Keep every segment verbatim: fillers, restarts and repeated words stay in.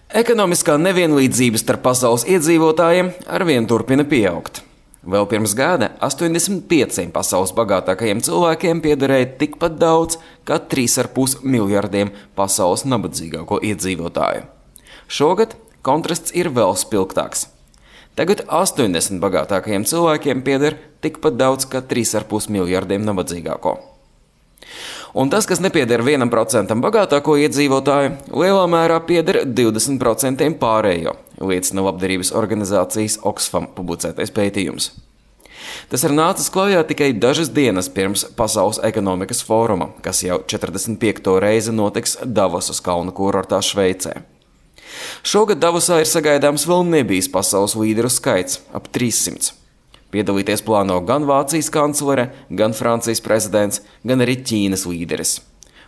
Ekonomiskā nevienlīdzība starp pasaules iedzīvotājiem arvien turpina pieaugt. Vēl pirms gada astoņdesmit pieciem pasaules bagātākajiem cilvēkiem piederēja tikpat daudz kā trīs ar pus miljardiem pasaules nabadzīgāko iedzīvotāju. Šogad kontrasts ir vēl spilgtāks. Tagad astoņdesmit bagātākajiem cilvēkiem pieder tikpat daudz kā trīs ar pus miljardiem nabadzīgāko. Un tas, kas nepieder vienam procentam bagātāko iedzīvotāju, lielā mērā pieder divdesmit procentiem pārējo, liecina labdarības organizācijas Oxfam publicētais pētījums. Tas ir nācis klajā tikai dažas dienas pirms Pasaules ekonomikas fóruma, kas jau četrdesmit piekto reizi notiks Davosas kalnu kurortā Šveicē. Šogad Davosā ir sagaidāms vēl nebijis pasaules līderu skaits – ap trīssimts. Piedalīties plāno gan Vācijas kanclere, gan Francijas prezidents, gan arī Ķīnas līderis.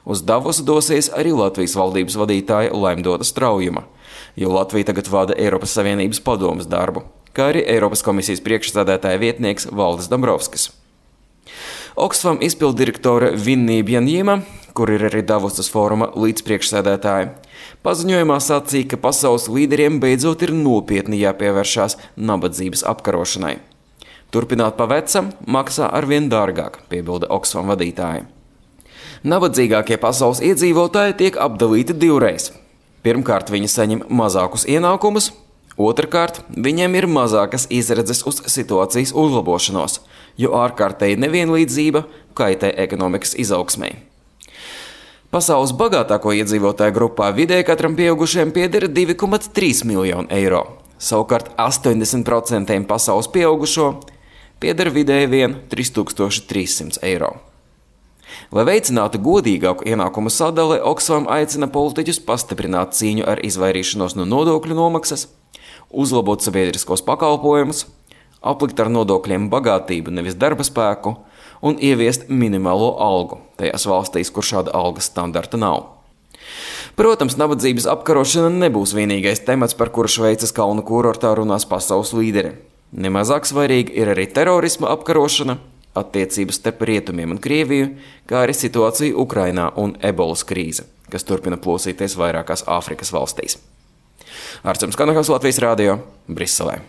Uz Davosu dosies arī Latvijas valdības vadītāja Laimdota Straujuma, jo Latvija tagad vada Eiropas Savienības padomes darbu, kā arī Eiropas komisijas priekšsēdētāja vietnieks Valdis Dombrovskis. Oxfam izpilddirektore Vinnija Bjanjima, kur ir arī Davosas fóruma līdzpriekšsēdētāja, paziņojumā sacīja, ka pasaules līderiem beidzot ir nopietni jāpievēršās nabadzības apkarošanai. Turpināt pa vecam maksā arvien dārgāk, piebilda Oxfam vadītāji. Nabadzīgākie pasaules iedzīvotāji tiek apdalīti divreiz. Pirmkārt, viņi saņem mazākus ienākumus, otrkārt, viņiem ir mazākas izredzes uz situācijas uzlabošanos, jo ārkārtēji nevienlīdzība kaitē ekonomikas izaugsmei. Pasaules bagātāko iedzīvotāju grupā vidēji katram pieaugušiem pieder divi komats trīs miljoni eiro, savukārt astoņdesmit procentiem pasaules pieaugušo pieder vidēji vien trīs tūkstoši trīs simti eiro. Lai veicinātu godīgāku ienākumu sadali, Oxfam aicina politiķus pastiprināt cīņu ar izvairīšanos no nodokļu nomaksas, uzlabot sabiedriskos pakalpojumus, aplikt ar nodokļiem bagātību, nevis darba spēku, un ieviest minimālo algu tajās valstīs, kur šāda algas standarta nav. Protams, nabadzības apkarošana nebūs vienīgais temats, par kuru Šveices kalnu kurortā runās pasaules līderi. Nemazāk svarīgi ir arī terorisma apkarošana, attiecības starp Rietumiem un Krieviju, kā arī situācija Ukrainā un ebolas krīze, kas turpina plosīties vairākās Āfrikas valstīs. Arčuns Kanahavs, Latvijas radio, Briselē.